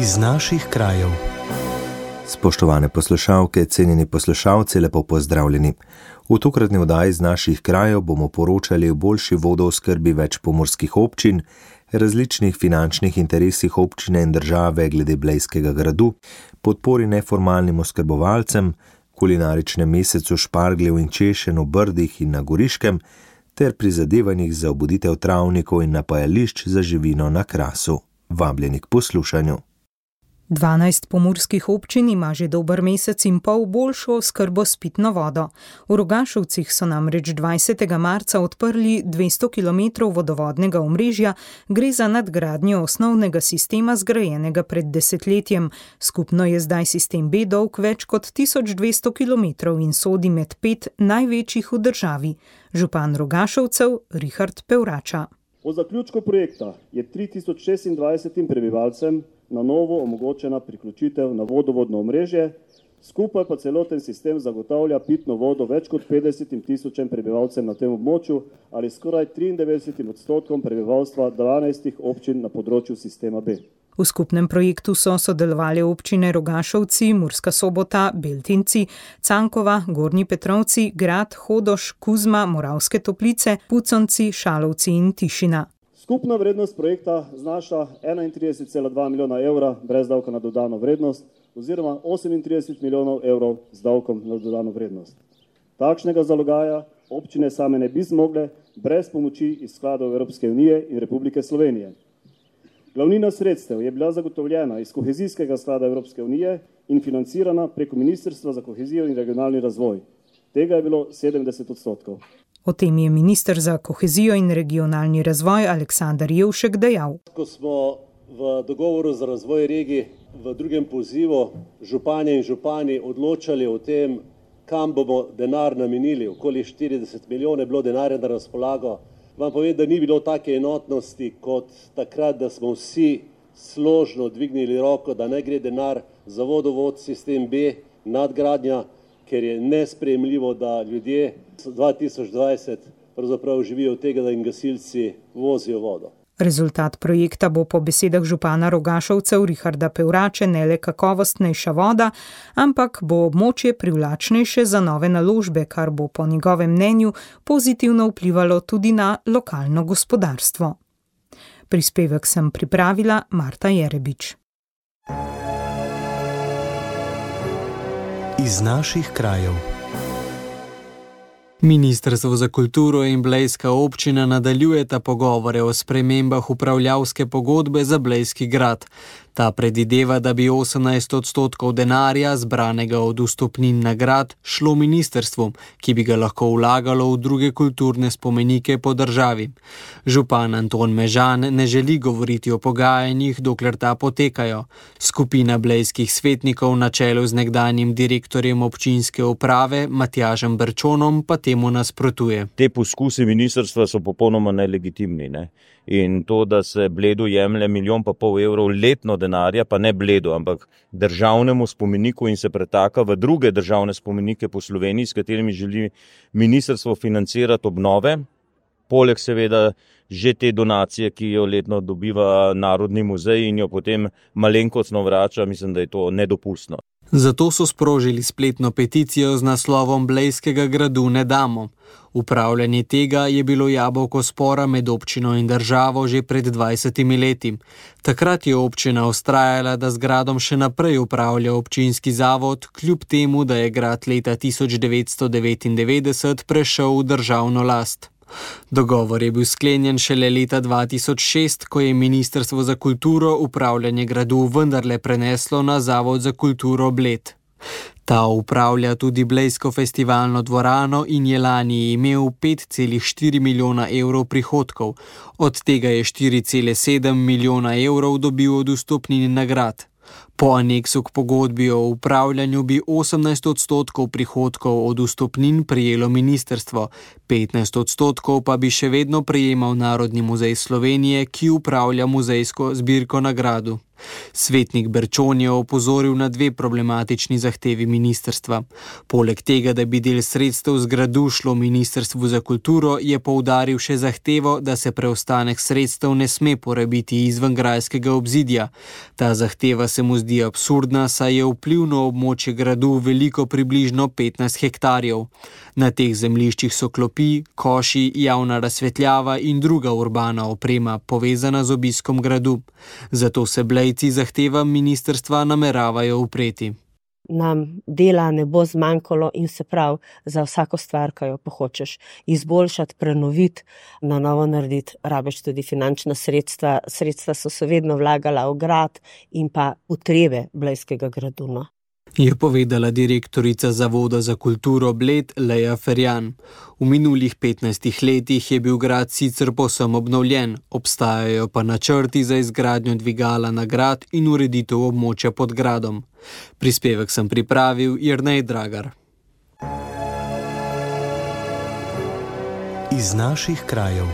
Iz naših krajev. Spoštovane poslušalke, cenjeni poslušalci, lepo pozdravljeni. V tokratni oddaji iz naših krajev bomo poročali o boljši vodooskrbi več pomurskih občin, različnih finančnih interesih občine in države glede Blejskega gradu, podpori neformalnim oskrbovalcem, kulinaričnem mesecu špargljev in češenj v Brdih in na Goriškem ter prizadevanjih za obuditev travnikov in napajališč za živino na Krasu. Vabljeni k poslušanju. 12 pomurskih občin ima že dober mesec in pol boljšo oskrbo s pitno vodo. V Rogašovcih so namreč 20. marca odprli 200 km vodovodnega omrežja, gre za nadgradnjo osnovnega sistema zgrajenega pred desetletjem. Skupno je zdaj sistem B dolg več kot 1200 km in sodi med 5 največjih v državi. Župan Rogašovcev Richard Pevrača. Po zaključku projekta je 3026 prebivalcem na novo omogočena priključitev na vodovodno omrežje, skupaj pa celoten sistem zagotavlja pitno vodo več kot 50.000 prebivalcem na tem območju ali skoraj 93% prebivalstva 12 občin na področju sistema B. V skupnem projektu so sodelovali občine Rogašovci, Murska Sobota, Beltinci, Cankova, Gornji Petrovci, Grad, Hodoš, Kuzma, Moravske Toplice, Puconci, Šalovci in Tišina. Skupna vrednost projekta znaša 31,2 milijona evra brez davka na dodano vrednost oziroma 38 milijonov evrov z davkom na dodano vrednost. Takšnega zalogaja občine same ne bi zmogle brez pomoči iz skladov Evropske unije in Republike Slovenije. Glavnina sredstev je bila zagotovljena iz kohezijskega sklada Evropske unije in financirana preko Ministrstva za kohezijo in regionalni razvoj. Tega je bilo 70%. O tem je minister za kohezijo in regionalni razvoj Aleksandar Jevšek dejal. Ko smo v dogovoru za razvoj regij v drugem pozivu županje in župani odločali o tem, kam bomo denar namenili, okoli 40 milijonov je bilo denarja na razpolago, vam povem, da ni bilo take enotnosti kot takrat, da smo vsi složno dvignili roko, da ne gre denar za vodovod sistem B, nadgradnja, ker je nesprejemljivo, da ljudje 2020 pravzaprav živijo od tega, da jim gasilci vozijo vodo. Rezultat projekta bo po besedah župana Rogašovcev Richarda Pevrače ne le kakovostnejša voda, ampak bo območje privlačnejše za nove naložbe, kar bo po njegovem mnenju pozitivno vplivalo tudi na lokalno gospodarstvo. Prispevek sem pripravila Marta Jerebič. Iz naših krajev. Ministrstvo za kulturo in Blejska občina nadaljujeta pogovore o spremembah upravljavske pogodbe za Blejski grad. Ta predvideva, da bi 18% denarja, zbranega od vstopnin na grad, šlo ministrstvu, ki bi ga lahko vlagalo v druge kulturne spomenike po državi. Župan Anton Mežan ne želi govoriti o pogajanjih, dokler ta potekajo. Skupina blejskih svetnikov na čelu z nekdanjim direktorjem občinske uprave Matjažem Berčonom pa temu nasprotuje. Te poskusi ministrstva so popolnoma nelegitimni, ne? In to, da se Bledu jemlje 1,5 milijona evrov letno denarja, pa ne Bledu, ampak državnemu spomeniku in se pretaka v druge državne spomenike po Sloveniji, s katerimi želi ministrstvo financirati obnove, poleg seveda že te donacije, ki jo letno dobiva Narodni muzej in jo potem malenkostno vrača, mislim, da je to nedopustno. Zato so sprožili spletno peticijo z naslovom Blejskega gradu ne damo. Upravljanje tega je bilo jabolko spora med občino in državo že pred 20 leti. Takrat je občina vztrajala, da z gradom še naprej upravlja občinski zavod, kljub temu, da je grad leta 1999 prešel v državno last. Dogovor je bil sklenjen šele leta 2006, ko je Ministrstvo za kulturo upravljanje gradu vendarle preneslo na Zavod za kulturo Bled. Ta upravlja tudi Blejsko festivalno dvorano in je lani imel 5,4 milijona evrov prihodkov, od tega je 4,7 milijona evrov dobil od vstopnin nagrad. Po aneksu k pogodbi o upravljanju bi 18% prihodkov od vstopnin prejelo ministrstvo, 15% pa bi še vedno prejemal Narodni muzej Slovenije, ki upravlja muzejsko zbirko na gradu. Svetnik Berčon je opozoril na dve problematični zahtevi ministrstva. Poleg tega, da bi del sredstev z gradu šlo Ministrstvu za kulturo, je poudaril še zahtevo, da se preostanek sredstev ne sme porabiti izven grajskega obzidja. Ta zahteva se mu zdi absurdna, saj je vplivno območje gradu veliko približno 15 hektarjev. Na teh zemljiščih so klopi, koši, javna razsvetljava in druga urbana oprema, povezana z obiskom gradu. Zato se Blejci zahtevam ministrstva nameravajo upreti. Nam dela ne bo zmanjkalo in se prav za vsako stvar, ki jo hočeš izboljšati, prenoviti, na novo narediti, rabiš tudi finančna sredstva. Sredstva so se vedno vlagala v grad in pa potrebe Blejskega gradu. No. Je povedala direktorica Zavoda za kulturo Bled Leja Ferjan. V minulih 15 letih je bil grad sicer povsem obnovljen, obstajajo pa načrti za izgradnjo dvigala na grad in ureditev območja pod gradom. Prispevek sem pripravil Jernej Dragar. Iz naših krajev.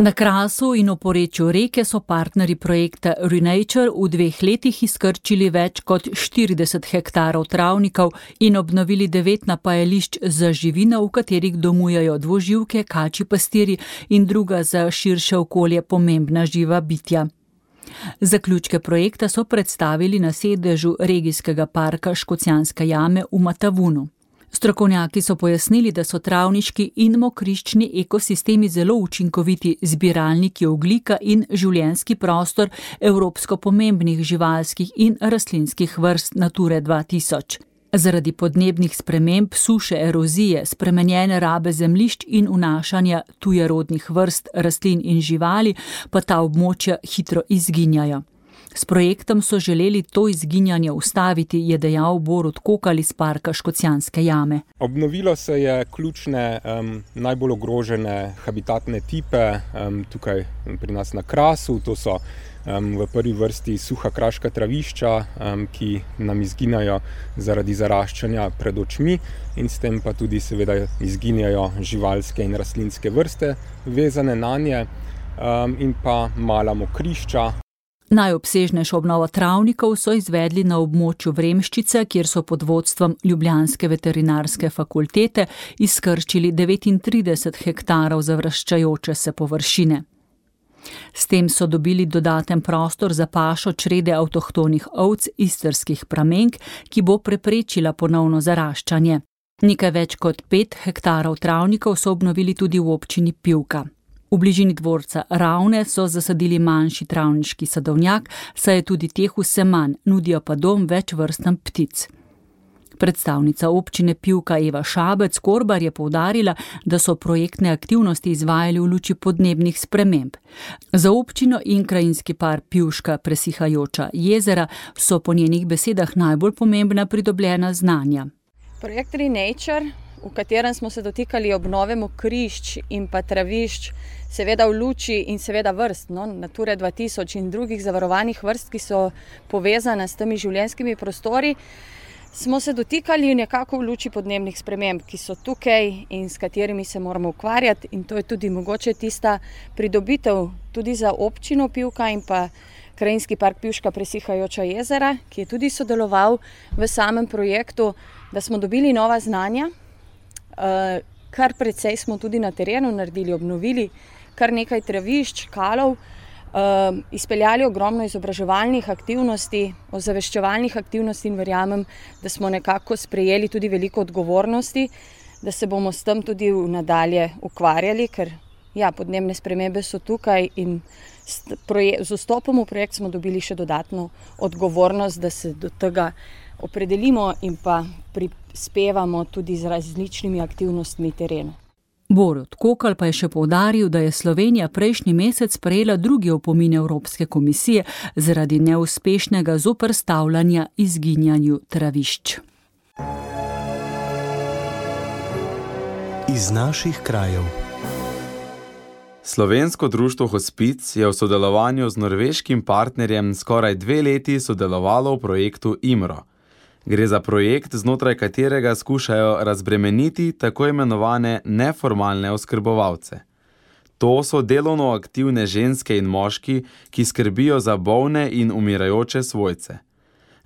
Na Krasu in v porečju reke so partnerji projekta Renature v 2 letih izkrčili več kot 40 hektarov travnikov in obnovili 9 napajališč za živino, v katerih domujejo dvoživke, kačji pastirji in druga za širše okolje pomembna živa bitja. Zaključke projekta so predstavili na sedežu regijskega parka Škocjanske jame v Matavunu. Strokovnjaki so pojasnili, da so travniški in mokriščni ekosistemi zelo učinkoviti zbiralniki ogljika in življenjski prostor evropsko pomembnih živalskih in rastlinskih vrst Nature 2000. Zaradi podnebnih sprememb, suše, erozije, spremenjene rabe zemljišč in vnašanja tujerodnih vrst rastlin in živali pa ta območja hitro izginjajo. S projektom so želeli to izginjanje ustaviti, je dejal Borut Kokal iz parka Škocjanske jame. Obnovilo se je ključne najbolj ogrožene habitatne tipe tukaj pri nas na Krasu. To so v prvi vrsti suha kraška travišča, ki nam izginjajo zaradi zaraščanja pred očmi in s tem pa tudi seveda izginjajo živalske in rastlinske vrste vezane nanje in pa mala mokrišča. Najobsežnejšo obnovo travnikov so izvedli na območju Vremščice, kjer so pod vodstvom Ljubljanske veterinarske fakultete izkrčili 39 hektarov zavraščajoče se površine. S tem so dobili dodaten prostor za pašo črede avtohtonih ovc istrskih pramenk, ki bo preprečila ponovno zaraščanje. Nekaj več kot 5 hektarov travnikov so obnovili tudi v občini Pivka. V bližini dvorca Ravne so zasadili manjši travniški sadovnjak, saj je tudi teh vse manj, nudijo pa dom več vrstam ptic. Predstavnica občine Pivka Eva Šabec-Korbar je poudarila, da so projektne aktivnosti izvajali v luči podnebnih sprememb. Za občino in krajinski park Pivška presihajoča jezera so po njenih besedah najbolj pomembna pridobljena znanja. Projekt Renature, v katerem smo se dotikali obnove mokrišč in pa travišč, seveda v luči in seveda vrst, Nature 2000 in drugih zavarovanih vrst, ki so povezane s temi življenjskimi prostori, smo se dotikali nekako v luči podnebnih sprememb, ki so tukaj in s katerimi se moramo ukvarjati, in to je tudi mogoče tista pridobitev tudi za občino Pivka in pa krajinski park Pivška presihajoča jezera, ki je tudi sodeloval v samem projektu, da smo dobili nova znanja. Kar precej smo tudi na terenu naredili, obnovili kar nekaj travišč, kalov, izpeljali ogromno izobraževalnih aktivnosti, ozaveščevalnih aktivnosti in verjamem, da smo nekako sprejeli tudi veliko odgovornosti, da se bomo s tem tudi nadalje ukvarjali, ker podnebne spremembe so tukaj in z vstopom v projekt smo dobili še dodatno odgovornost, da se do tega opredelimo in pa prispevamo tudi z različnimi aktivnostmi terenu. Borut Kokal pa je še poudaril, da je Slovenija prejšnji mesec prejela drugi opomin Evropske komisije zaradi neuspešnega zoperstavljanja izginjanju travišč. Iz naših krajev. Slovensko društvo Hospic je v sodelovanju z norveškim partnerjem skoraj 2 leti sodelovalo v projektu IMRO. Gre za projekt, znotraj katerega skušajo razbremeniti tako imenovane neformalne oskrbovalce. To so delovno aktivne ženske in moški, ki skrbijo za bolne in umirajoče svojce.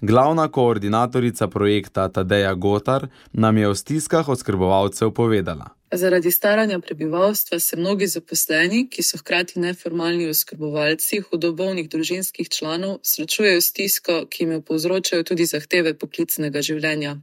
Glavna koordinatorica projekta Tadeja Gotar nam je o stiskah oskrbovalcev povedala. Zaradi staranja prebivalstva se mnogi zaposleni, ki so hkrati neformalni oskrbovalci hudo bolnih družinskih članov, srečujejo stisko, ki jim jo povzročajo tudi zahteve poklicnega življenja.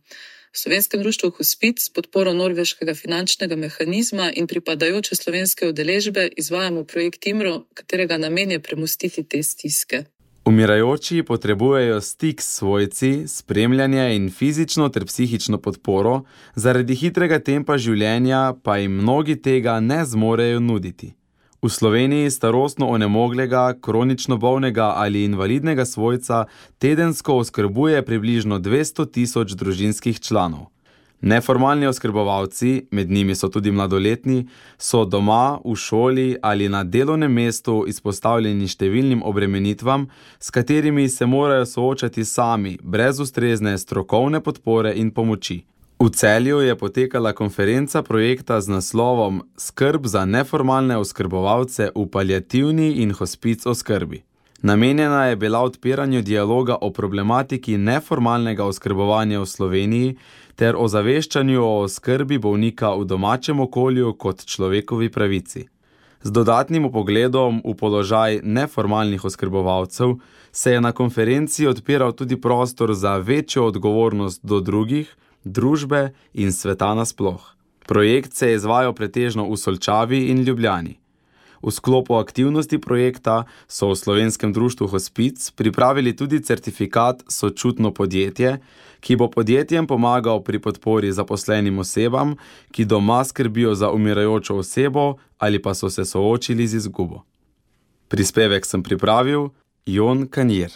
V Slovenskem društvu Hospic s podporo norveškega finančnega mehanizma in pripadajoče slovenske udeležbe izvajamo projekt IMRO, katerega namen je premostiti te stiske. Umirajoči potrebujejo stik s svojci, spremljanje in fizično ter psihično podporo, zaradi hitrega tempa življenja pa jim mnogi tega ne zmorejo nuditi. V Sloveniji starostno onemoglega, kronično bolnega ali invalidnega svojca tedensko oskrbuje približno 200.000 družinskih članov. Neformalni oskrbovalci, med njimi so tudi mladoletni, so doma, v šoli ali na delovnem mestu izpostavljeni številnim obremenitvam, s katerimi se morajo soočati sami, brez ustrezne strokovne podpore in pomoči. V Celju je potekala konferenca projekta z naslovom Skrb za neformalne oskrbovalce v paliativni in hospic oskrbi. Namenjena je bila odpiranju dialoga o problematiki neformalnega oskrbovanja v Sloveniji ter o zaveščanju o oskrbi bolnika v domačem okolju kot človekovi pravici. Z dodatnim vpogledom v položaj neformalnih oskrbovalcev se je na konferenci odpiral tudi prostor za večjo odgovornost do drugih, družbe in sveta nasploh. Projekt se je izvajal pretežno v Solčavi in Ljubljani. V sklopu aktivnosti projekta so v Slovenskem društvu Hospic pripravili tudi certifikat Sočutno podjetje, ki bo podjetjem pomagal pri podpori zaposlenim osebam, ki doma skrbijo za umirajočo osebo ali pa so se soočili z izgubo. Prispevek sem pripravil Jon Kanjer.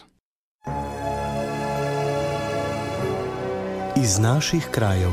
Iz naših krajev.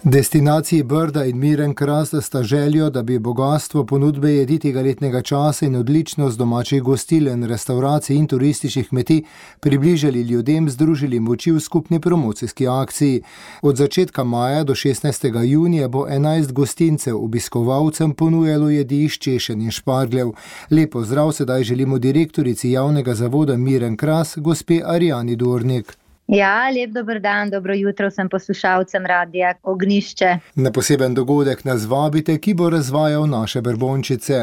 Destinaciji Brda in Miren Kras sta željo, da bi bogatstvo ponudbe jedi tega letnega časa in odličnost domačih gostiln, restavracij in turističnih kmetij približali ljudem, združili moči v skupni promocijski akciji. Od začetka maja do 16. junija bo 11 gostincev obiskovalcem ponujalo jedi iz češenj in špargljev. Lepo zdrav sedaj želimo direktorici javnega zavoda Miren Kras, gospe Arijani Dornik. Ja, lep dober dan, dobro jutro vsem poslušalcem Radia Ognjišče. Na poseben dogodek nas vabite, ki bo razvajal naše brbončice.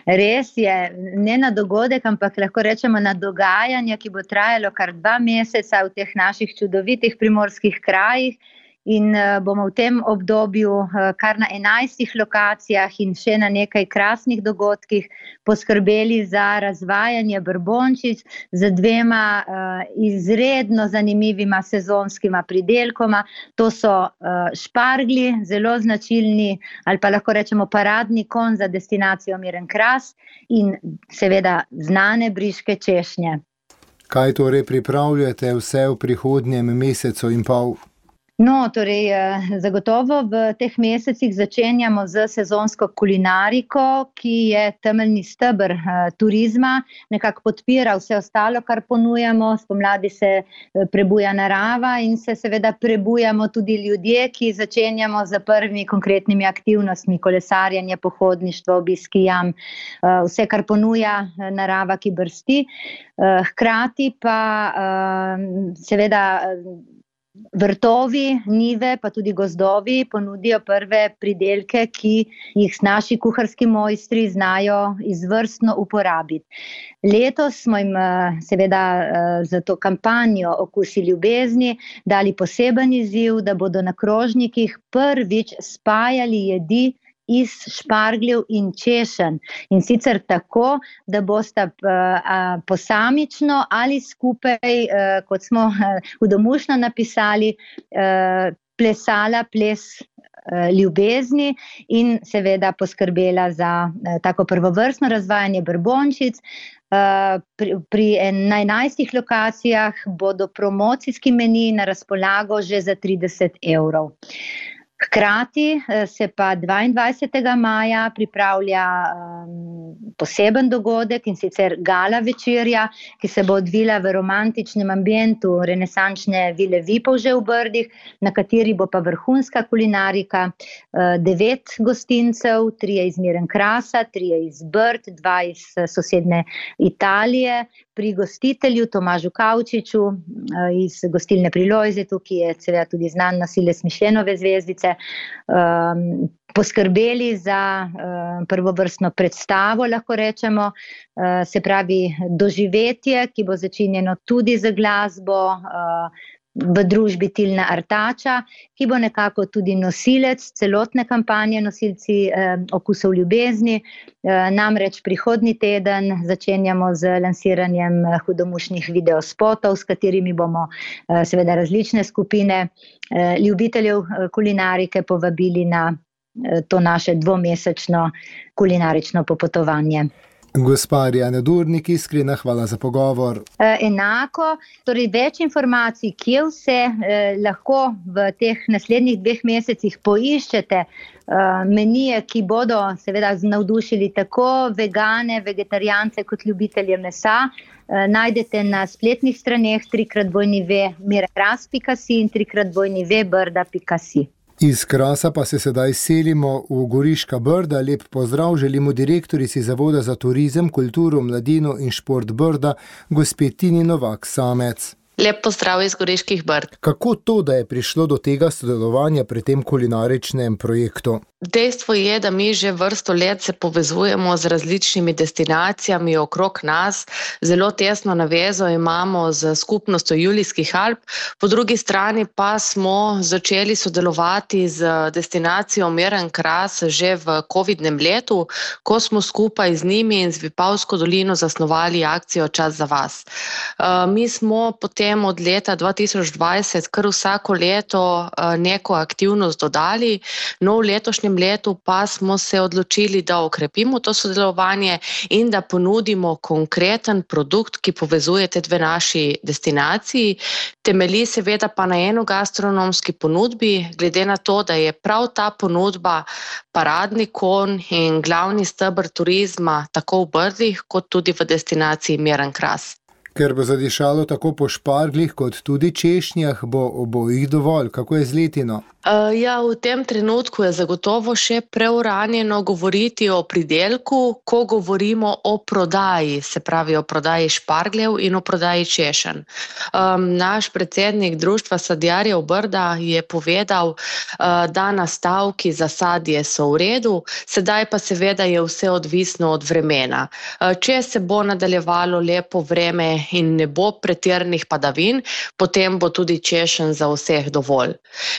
Res je, ne na dogodek, ampak lahko rečemo na dogajanje, ki bo trajalo kar 2 meseca v teh naših čudovitih primorskih krajih. In bomo v tem obdobju kar na 11 lokacijah in še na nekaj krasnih dogodkih poskrbeli za razvajanje brbončic z 2 izredno zanimivima sezonskima pridelkoma. To so šparglji, zelo značilni ali pa lahko rečemo paradni konj za destinacijo Miren Kras in seveda znane briške češnje. Kaj torej pripravljate vse v prihodnjem mesecu in pol? No, torej, zagotovo v teh mesecih začenjamo z sezonsko kulinariko, ki je temeljni steber turizma, nekako podpira vse ostalo, kar ponujamo. Spomladi se prebuja narava in se seveda prebujamo tudi ljudje, ki začenjamo z prvimi konkretnimi aktivnostmi, kolesarjenje, pohodništvo, obiski jam, vse, kar ponuja narava, ki brsti. Hkrati pa seveda vrtovi, njive, pa tudi gozdovi ponudijo prve pridelke, ki jih naši kuharski mojstri znajo izvrstno uporabiti. Letos smo jim seveda za to kampanjo Okusi ljubezni dali poseben izziv, da bodo na krožnikih prvič spajali jedi iz špargljev in češenj. In sicer tako, da bosta posamično ali skupaj, kot smo hudomušno napisali, plesala ples ljubezni in seveda poskrbela za tako prvovrstno razvajanje brbončic. Pri 11 lokacijah bodo promocijski meniji na razpolago že za 30 evrov. Hkrati se pa 22. maja pripravlja poseben dogodek, in sicer gala večerja, ki se bo odvila v romantičnem ambientu renesančne vile Vipavže v Brdih, na kateri bo pa vrhunska kulinarika, 9 gostincev, 3 iz Mirenkrasa, 3 iz Brd, 2 iz sosedne Italije, pri gostitelju Tomažu Kavčiču iz gostilne pri Lojzetu, ki je seveda tudi znan nosilec Mišljenove zvezdice, poskrbeli za prvovrstno predstavo, lahko rečemo, se pravi doživetje, ki bo začinjeno tudi z glasbo, v družbi Tilna Artača, ki bo nekako tudi nosilec celotne kampanje Nosilci okusov ljubezni. Namreč prihodnji teden začenjamo z lansiranjem hudomušnih videospotov, s katerimi bomo seveda različne skupine ljubiteljev kulinarike povabili na to naše 2-mesečno kulinarično popotovanje. Gospa Arijana Durnik, iskrena hvala za pogovor. Enako, torej več informacij, kje vse lahko v teh naslednjih 2 mesecih poiščete menije, ki bodo seveda navdušili tako vegane, vegetarijance kot ljubitelje mesa, najdete na spletnih straneh www.mirenkras.si in www.brda.si. Iz Krasa pa se sedaj selimo v Goriška Brda. Lep pozdrav želimo direktorici Zavoda za turizem, kulturo, mladino in šport Brda, gospe Tini Novak Samec. Lep pozdrav iz Goriških Brd. Kako to, da je prišlo do tega sodelovanja pri tem kulinaričnem projektu? Dejstvo je, da mi že vrsto let se povezujemo z različnimi destinacijami okrog nas. Zelo tesno navezo imamo z skupnostjo Julijskih Alp. Po drugi strani pa smo začeli sodelovati z destinacijo Mirenkras že v covidnem letu, ko smo skupaj z njimi in z Vipavsko dolino zasnovali akcijo Čas za vas. Mi smo potem od leta 2020 kar vsako leto neko aktivnost dodali, no v letošnjem letu pa smo se odločili, da okrepimo to sodelovanje in da ponudimo konkreten produkt, ki povezuje te 2 naši destinaciji. Temelji seveda pa na enogastronomski ponudbi, glede na to, da je prav ta ponudba paradni konj in glavni steber turizma tako v Brdih kot tudi v destinaciji Mirenkras. Ker bo zadišalo tako po šparglih kot tudi češnjah, bo obojih dovolj. Kako je z letino? Ja, v tem trenutku je zagotovo še preuranjeno govoriti o pridelku, ko govorimo o prodaji, se pravi o prodaji špargljev in o prodaji češenj. Naš predsednik Društva sadjarjev Brda je povedal, da nastavki za sadje so v redu, sedaj pa seveda je vse odvisno od vremena. Če se bo nadaljevalo lepo vreme in ne bo pretirnih padavin, potem bo tudi češenj za vseh dovolj.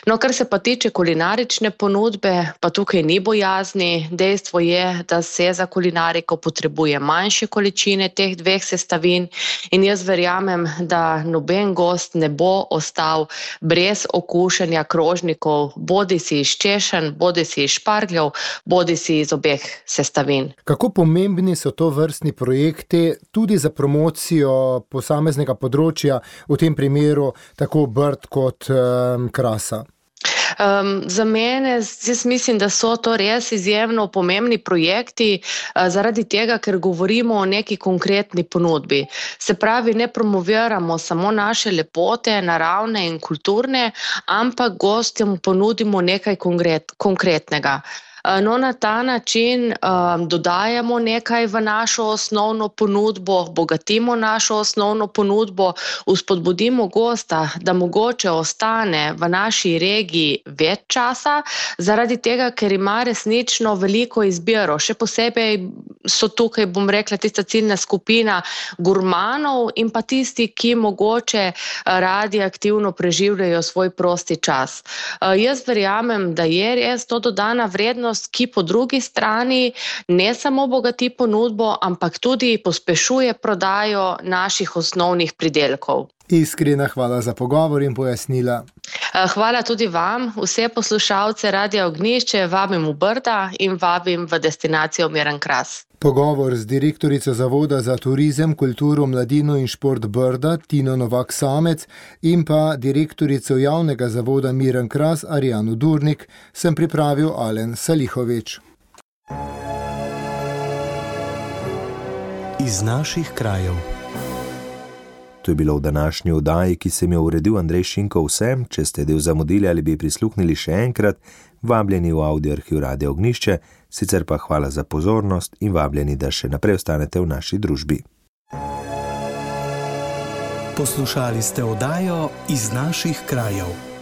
No, kar se pa tiče kulinarične ponudbe, pa tukaj ni bojazni. Dejstvo je, da se za kulinariko potrebuje manjše količine teh 2 sestavin in jaz verjamem, da noben gost ne bo ostal brez okušanja krožnikov, bodisi iz češenj, bodisi iz špargljev, bodisi iz obeh sestavin. Kako pomembni so to vrstni projekti tudi za promocijo posameznega področja, v tem primeru tako Brd kot Krasa? Za mene, jaz mislim, da so to res izjemno pomembni projekti, zaradi tega, ker govorimo o neki konkretni ponudbi. Se pravi, ne promoviramo samo naše lepote, naravne in kulturne, ampak gostjem ponudimo nekaj konkretnega. No, na ta način dodajamo nekaj v našo osnovno ponudbo, bogatimo našo osnovno ponudbo, vzpodbudimo gosta, da mogoče ostane v naši regiji več časa, zaradi tega, ker ima resnično veliko izbiro. Še posebej so tukaj, bom rekla, tista ciljna skupina gurmanov in pa tisti, ki mogoče radi aktivno preživljajo svoj prosti čas. Jaz verjamem, da je res to dodana vrednost, ki po drugi strani ne samo bogati ponudbo, ampak tudi pospešuje prodajo naših osnovnih pridelkov. Iskrena hvala za pogovor in pojasnila. Hvala tudi vam, vse poslušalce Radia Ognjišče vabim v Brda in vabim v destinacijo Mirenkras. Pogovor z direktorico Zavoda za turizem, kulturo, mladino in šport Brda, Tino Novak Samec, in pa direktorico javnega zavoda Mirenkras, Arijano Durnik, sem pripravil Alen Salihovič. iz naših krajev. To je bilo v današnji oddaji, ki sem jo uredil Andrej Šinko. Vsem, če ste del zamudili ali bi prisluhnili še enkrat, vabljeni v audio arhiv Radia Ognjišče, sicer pa hvala za pozornost in vabljeni, da še naprej ostanete v naši družbi. Poslušali ste oddajo iz naših krajev.